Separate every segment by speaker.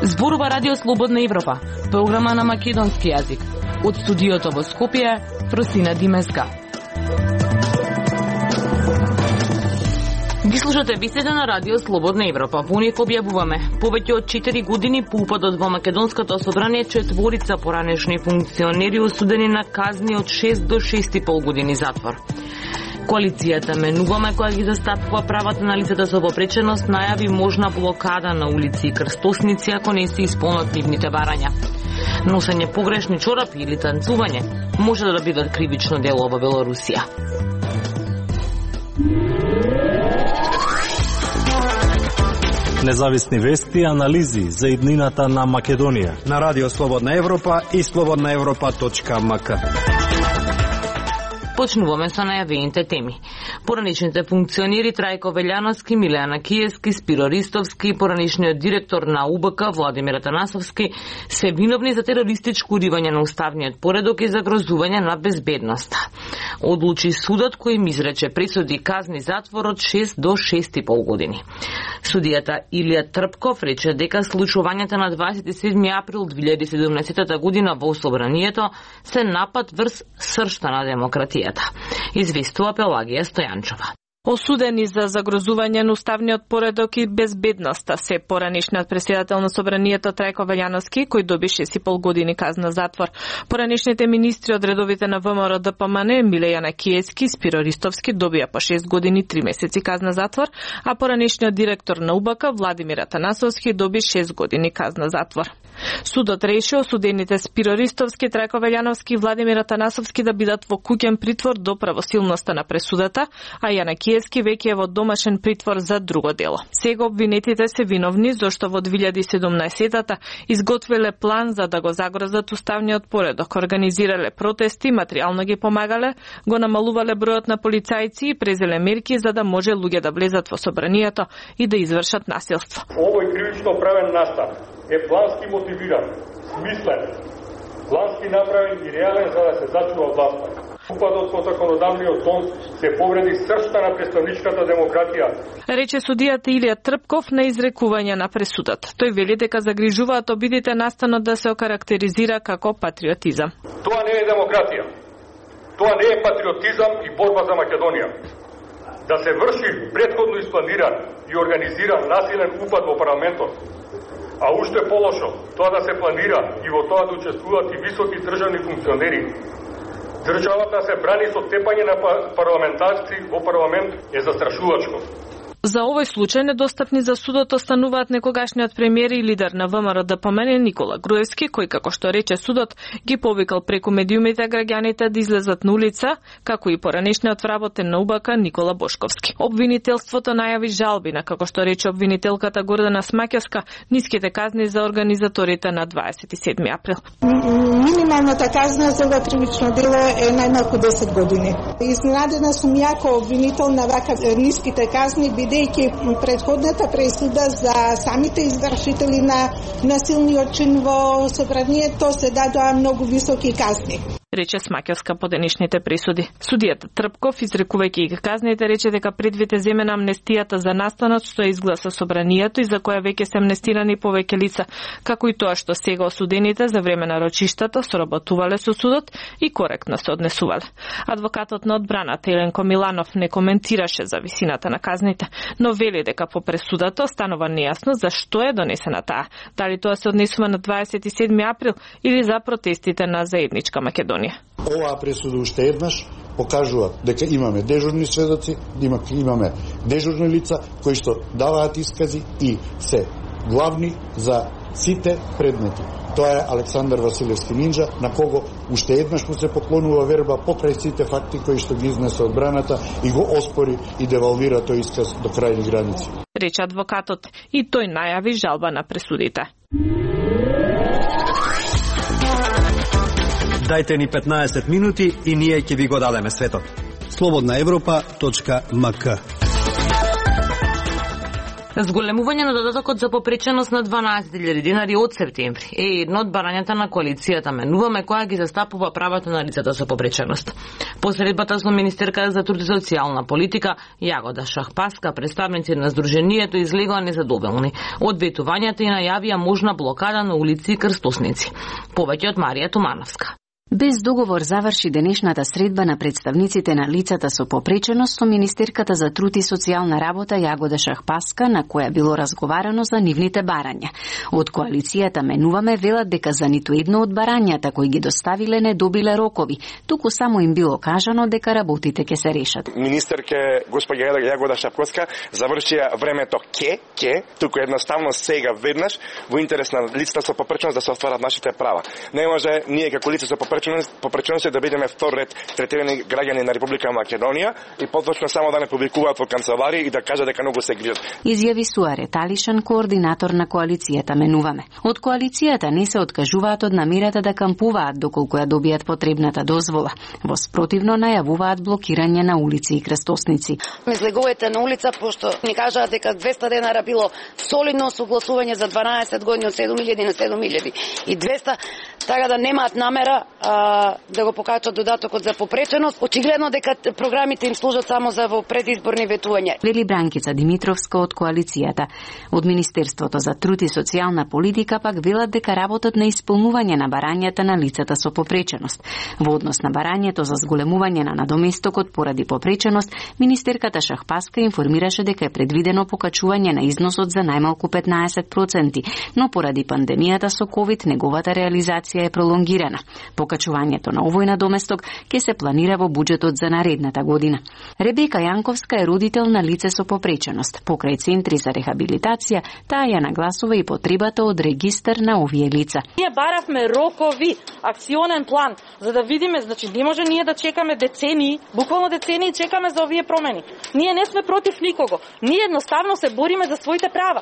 Speaker 1: Зборува Радио Слободна Европа, програма на македонски јазик. Од студиото во Скопје, Фросина Димеска. Ги слушате беседа на Радио Слободна Европа. Во нив објавуваме повеќе од 4 години по упадот во Македонското собрание, четворица поранешни функционери осудени на казни од 6 до 6,5 години затвор. Коалицијата Менуваме, која ги застапува правата на лицата со попреченост, најави можна блокада на улици и крстосници ако не се исполнат нивните барања. Носење погрешни чорапи или танцување може да бидат кривично дело во Белорусија.
Speaker 2: Независни вести и анализи за иднината на Македонија
Speaker 3: на Радио Слободна Европа и slobodnaevropa.mk.
Speaker 1: Почнуваме со најавените теми. Пораничните функционери Трајко Велјановски, Милеана Киевски, Спиро Ристовски и пораничниот директор на УБК Владимир Атанасовски се виновни за терористичко уривање на уставниот поредок и загрозување на безбедноста. Одлучи судот кој им изрече присуди казни затвор од 6 до 6,5 години. Судијата Илија Трпков рече дека случувањата на 27 април 2017 година во собранието се напад врз сршта на демократијата. Известува Пелагија Стојанчова.
Speaker 4: Осудени за загрозување на уставниот поредок и безбедноста се поранишниот претседател на собранието Трајко Велјановски, кој доби 6,5 години казна затвор. Поранишните министри од редовите на ВМРО ДПМН Милејана Киевски и Спиро Ристовски добија по 6 години 3 месеци казна затвор, а поранишниот директор на УБК Владимир Атанасовски доби 6 години казна затвор. Судот реши осудените Спиро Ристовски, Трајко Велјановски и Владимир Атанасовски да бидат во куќен притвор до правосилноста на пресудата, а Јана Киевски веќе е во домашен притвор за друго дело. Сега обвинетите се виновни зашто во 2017-та изготвиле план за да го загрозат уставниот поредок, организирале протести, материјално ги помагале, го намалувале бројот на полицајци и презеле мерки за да може луѓе да влезат во собранието и да извршат насилство.
Speaker 5: Овој кривично правен настан е плански мотивиран, смислен, плански направен и реален за да се зачува власта. Упадот во законодавниот дом се повреди сршта на представничката демократија.
Speaker 4: Рече судијата Илија Трпков на изрекување на пресудата. Тој вели дека загрижуваат обидите настанот да се окарактеризира како патриотизам.
Speaker 5: Тоа не е демократија. Тоа не е патриотизам и борба за Македонија. Да се врши претходно испланиран и организиран насилен упад во парламентот, а уште полошо, тоа да се планира и во тоа да учествуваат и високи државни функционери. Државата се брани со тепање на парламентарци во парламент е застрашувачко.
Speaker 4: За овој случај недостапни за судот остануваат некогашниот премиер и лидер на ВМРО ДПМН Никола Груевски, кој, како што рече судот, ги повикал преку медиумите граѓаните да излезат на улица, како и поранешниот вработен на УБК Никола Бошковски. Обвинителството најави жалби на, како што рече обвинителката Гордана Смаќевска, ниските казни за организаторите на 27 април.
Speaker 6: Минималната казна за ова кривично дело е најмалку 10 години. Изненадена сум јако обвинител на вака ниските казни, бидејќи претходната пресуда за самите извршители на насилниот чин во собранието се дадоа многу високи казни.
Speaker 4: Рече Смаќевска по денешните пресуди. Судијата Трпков, изрекувајќи ги казните, рече дека предвид е земена амнестијата за настанот што изгласа собранието и за која веќе се амнестирани повеќе лица, како и тоа што сега осудените за време на рочиштата соработувале со судот и коректно се однесувале. Адвокатот на одбраната Еленко Миланов не коментираше за висината на казните, но вели дека по пресудата останува нејасно за што е донесена таа. Дали тоа се однесува на 27 април или за протестите на заедничка Македонија.
Speaker 7: Оваа пресуда уште еднаш покажува дека имаме дежурни сведоци, имаме дежурни лица кои што даваат искази и се главни за сите предмети. Тоа е Александар Василевски Нинџа, на кого уште еднаш му се поклонува верба покрај сите факти кои што ги изнесе одбраната и го оспори и девалвира тој исказ до крајни граници.
Speaker 4: Рече адвокатот и тој најави жалба на пресудите.
Speaker 3: Дајте ни 15 минути и ние ќе ви го дадеме светот.
Speaker 8: slobodnaevropa.mk.
Speaker 1: Зголемување на додатокот за попреченост на 12.000 денари од септември е едно од барањата на коалицијата Менуваме, која ги застапува правата на лицата со попреченост. По средбата со министерката за труд и социјална политика Јагода Шахпаска, представници на здруженијето излегоа незадоволни од ветувањата и најавија можна блокада на улици и крстосници. Повеќе од Марија Тумановска.
Speaker 8: Без договор заврши денешната средба на представниците на лицата со попреченост со министерката за труд и социјална работа Јагода Шахпаска, на која било разговарано за нивните барања. Од коалицијата Менуваме велат дека за ниту едно од барањата кои ги доставиле не добиле рокови, туку само им било кажано дека работите ќе се решат.
Speaker 9: Министерке госпоѓа Јагода Шахпаска завршија времето туку едноставно сега веднаш во интерес на лицата со попреченост да се остварат нашите права. Не може ние како лица со попреченост да бидеме втор ред третирани граѓани на Република Македонија и поточно само да не публикуваат во канцеларии и да кажат дека многу се грижат.
Speaker 8: Изјави Суаре Талишан, координатор на коалицијата Менуваме. Од коалицијата не се откажуваат од намерата да кампуваат доколку ја добијат потребната дозвола. Во спротивно најавуваат блокирање на улици и крстосници.
Speaker 10: Излегувате на улица пошто ни кажаат дека 200 денара било солидно согласување за 12 години од 7.000 на 7.000 и 200, така да немаат намера да го покачат додатокот за попреченост. Очигледно дека програмите им служат само за во предизборни ветувања.
Speaker 8: Вели Бранкица Димитровска од коалицијата. Од Министерството за труд и социјална политика пак велат дека работат на исполнување на барањата на лицата со попреченост. Во однос на барањето за зголемување на надоместокот поради попреченост, министерката Шахпаска информираше дека е предвидено покачување на износот за најмалку 15%, но поради пандемијата со ковид неговата реализација е пролонгирана. Покачувањето на овој надоместок ќе се планира во буџетот за наредната година. Ребека Јанковска е родител на лице со попреченост. Покрај центри за рехабилитација, таа ја нагласува и потребата од регистар на овие лица.
Speaker 11: Ние баравме рокови, акционен план, за да видиме, значи не може ние да чекаме децении, буквално децении чекаме за овие промени. Ние не сме против никого. Ние едноставно се бориме за своите права.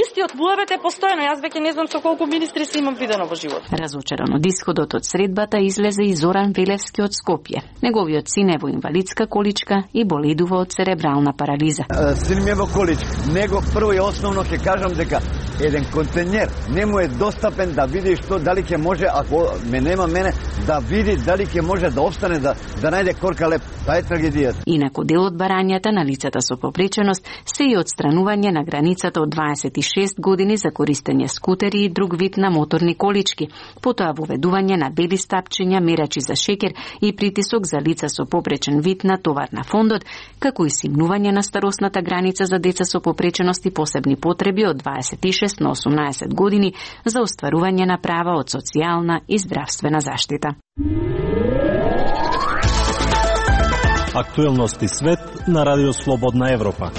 Speaker 11: Истиот БУЕБТ е постојано. Јас веќе не знам со колку министри се имам видено во живот.
Speaker 8: Разочаран од исходот од средбата излезе и Зоран Велевски од Скопје. Неговиот син е во инвалидска количка и боледува од церебрална парализа.
Speaker 12: Син ми е во количка. Него прво и основно ќе кажам дека еден контейнер не му е достапен да види што дали ќе може, ако ме нема мене, да види дали ќе може да остане да најде корка леп. Таа е трагедијата.
Speaker 8: Инаку дел од барањата на лицата со попреченост се и отстранување на границата од 26 години за користење скутери и друг вид на моторни колички, потоа воведување на бели стапчиња, мерачи за шеќер и притисок за лица со попречен вид на товар на фондот, како и симнување на старосната граница за деца со попреченост и посебни потреби од 26 на 18 години за остварување на права од социјална и здравствена заштита.
Speaker 2: Актуелности свет на Радио Слободна Европа.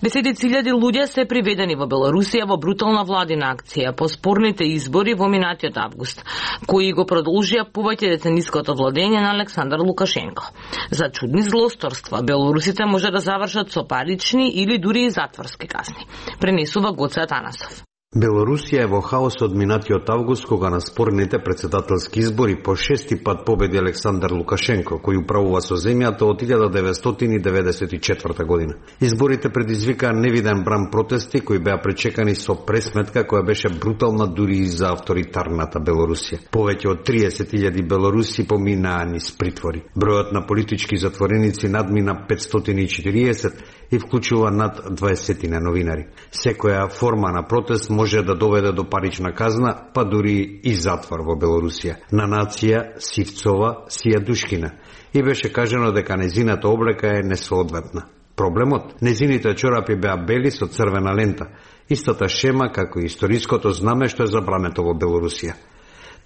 Speaker 1: Десетици илјади луѓе се приведени во Белорусија во брутална владина акција по спорните избори во минатиот август, кои го продолжија повеќе децениското владење на Александар Лукашенко. За чудни злосторства, белорусите може да завршат со парични или дури и затворски казни, пренесува Гоце Атанасов.
Speaker 13: Белорусија е во хаос од минатиот август, кога на спорните претседателски избори по шести пат победи Александар Лукашенко, кој управува со земјата од 1994 година. Изборите предизвикаа невиден бран протести кои беа пречекани со пресметка која беше брутална дури и за авторитарната Белорусија. Повеќе од 30.000 белоруси поминаа низ притвори. Бројот на политички затвореници надмина 540 и вклучува над 20 новинари. Секоја форма на протест може да доведе до парична казна, па дури и затвор во Белорусија. На нација Сивцова Сијадушкина и беше кажано дека незината облека е несоодветна. Проблемот? Незините чорапи беа бели со црвена лента, истата шема како и историското знаме што е забрането во Белорусија.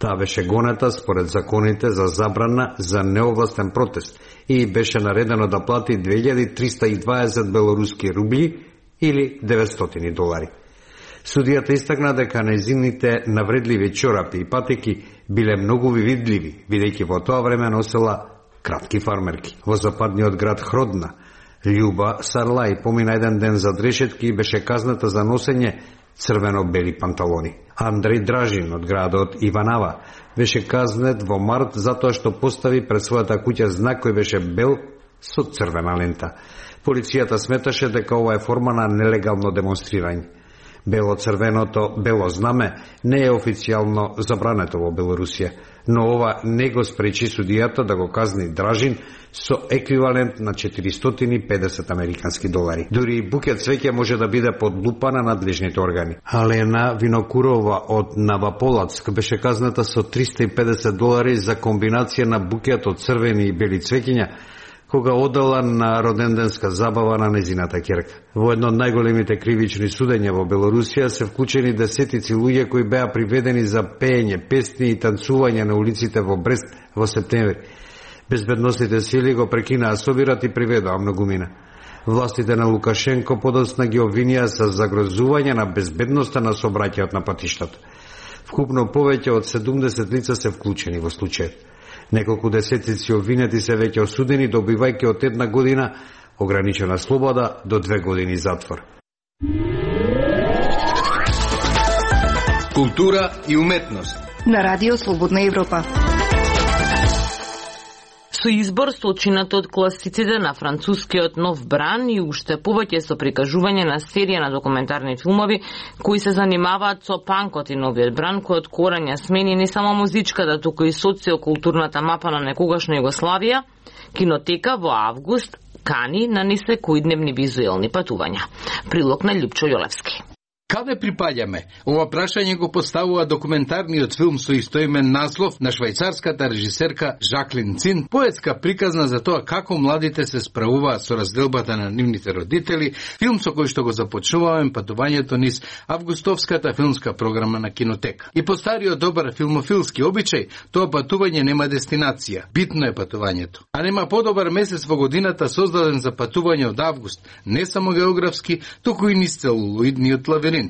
Speaker 13: Таа беше гонета според законите за забрана за неовластен протест и беше наредено да плати 2320 белоруски рубли или $900. Судијата истакна дека незините навредливи чорапи и патеки биле многу видливи, бидејќи во тоа време носела кратки фармерки. Во западниот град Хродна, Љуба Сарлај помина еден ден за дрешетки и беше казната за носење црвено-бели панталони. Андреј Дражин од градот Иванава беше казнет во март затоа што постави пред својата куќа знак кој беше бел со црвена лента. Полицијата сметаше дека ова е форма на нелегално демонстрирање. Бело знаме не е официјално забрането во Белорусија, но ова не го спречи судијата да го казни Дражин со еквивалент на 450 американски долари. Дури и букет цвеќе може да биде под лупа на надлежните органи. Алена Винокурова од Новополацк беше казната со 350 долари за комбинација на букет од црвени и бели цвеќиња, кога одела на роденденска забава на незината ќерка. Во едно од најголемите кривични судења во Белорусија се вклучени десетици луѓе кои беа приведени за пеење, песни и танцување на улиците во Брест во септември. Безбедносните сили го прекинаа собират и приведоа многумина. Властите на Лукашенко подоцна ги обвинија за загрозување на безбедноста на сообраќајот на патиштата. Вкупно повеќе од 70 лица се вклучени во случајот. Неколку десетици обвинети се веќе осудени, добивајќи од 1 година ограничена слобода до 2 години затвор.
Speaker 14: Култура и уметност
Speaker 15: на Радио Слободна Европа.
Speaker 1: Со избор сочинат од класиците на францускиот Нов Бран и уште повеќе со прикажување на серија на документарни филмови кои се занимаваат со панкот и новиот бран, кој од корања смени не само музичката, туку и социокултурната мапа на некогашна Југославија, Кинотека во август кани на несекојдневни визуелни патувања. Прилог на Љупчо Јолевски.
Speaker 14: Каде припаѓаме? Ова прашање го поставува документарниот филм со истоимен наслов на швајцарската режисерка Жаклин Цин, поетска приказна за тоа како младите се справуваат со разделбата на нивните родители, филм со кој што го започнуваме патувањето низ августовската филмска програма на Кинотека. И по стариот добар филмофилски обичај, тоа патување нема дестинација, битно е патувањето. А нема подобар месец во годината создаден за патување од август, не само географски, туку и низ целулоидниот лавиринт.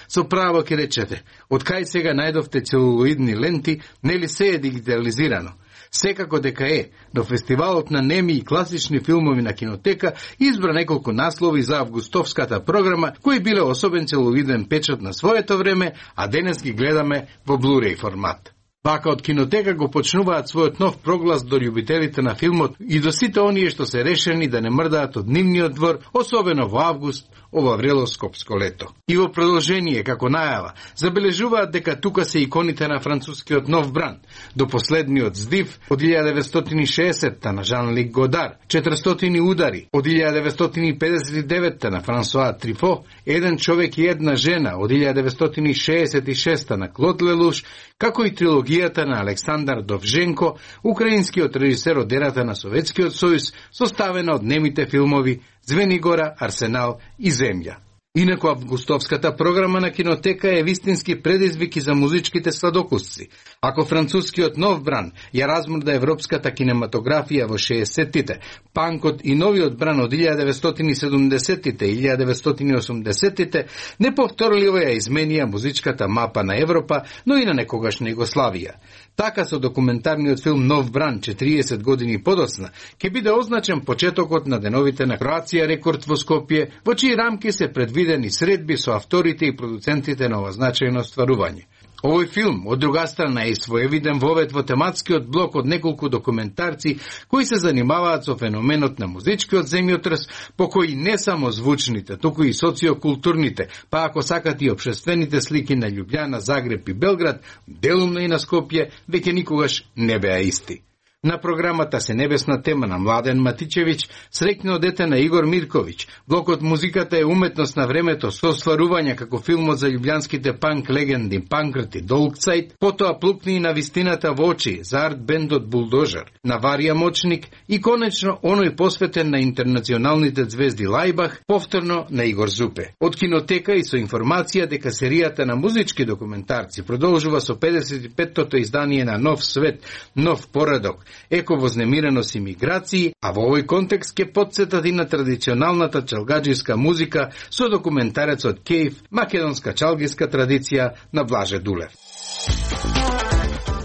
Speaker 14: Со право ке речете, од кај сега најдовте целулоидни ленти, нели се е дигитализирано? Секако дека е, но фестивалот на неми и класични филмови на Кинотека избра неколку наслови за августовската програма, кои биле особен целулоиден печат на своето време, а денес ги гледаме во Blu-ray формат. Вака од Кинотека го почнуваат својот нов проглас до љубителите на филмот и до сите оние што се решени да не мрдаат од нивниот двор, особено во август, ова врело скопско лето. И во продолжение, како најава, забележуваат дека тука се иконите на францускиот Нов Бран, до последниот здив од 1960-та на Жан-Лик Годар, 400 удари од 1959-та на Франсуа Трифо, Еден човек и една жена од 1966-та на Клод Лелуш, како и трилогијата на Александар Довженко, украинскиот режисер од ерата на Советскиот сојуз, составена од немите филмови Звенигора, Арсенал и Земја. Инаку августовската програма на Кинотека е вистински предизвик и за музичките сладокусци. Ако францускиот Нов Бран ја размрда европската кинематографија во 60-тите, панкот и новиот бран од 1970-тите и 1980-тите, неповторливо ја изменија музичката мапа на Европа, но и на некогашна Југославија. Така со документарниот филм Нов Бран 40 години подоцна ќе биде означен почетокот на деновите на Кроација Рекорд во Скопје, во чии рамки се предвидени средби со авторите и продуцентите на ова значајно стварување. Овој филм, од друга страна, е своевиден вовед во тематскиот блок од неколку документарци кои се занимаваат со феноменот на музичкиот земјотрес, по кои не само звучните, туку и социокултурните, па ако сакат и општествените слики на Љубљана, Загреб и Белград, делумно и на Скопје, веќе никогаш не беа исти. На програмата се небесна тема на Младен Матичевиќ, среќно дете на Игор Мирковиќ. Блокот музиката е уметност на времето со стварувања како филмот за љубљанските панк легенди Панкрт и Долгцајт, потоа плукни и на вистината во очи за арт бендот Булдожер, на Варија Мочник и конечно оној посветен на интернационалните звезди Лајбах, повторно на Игор Зупе. Од Кинотека и со информација дека серијата на музички документарци продолжува со 55-тото издание на Нов свет, нов поредок, еко-вознемиреност и миграции, а во овој контекст ќе потсетат и на традиционалната чалгаџиска музика со документарецот Кейф, македонска чалгиска традиција на Блаже Дулев.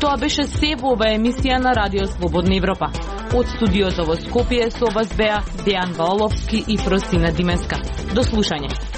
Speaker 1: Тоа беше се во ова емисија на Радио Слободна Европа. Од студиото во Скопје со вас беа Дејан Ваоловски и Просина Димеска. До слушање.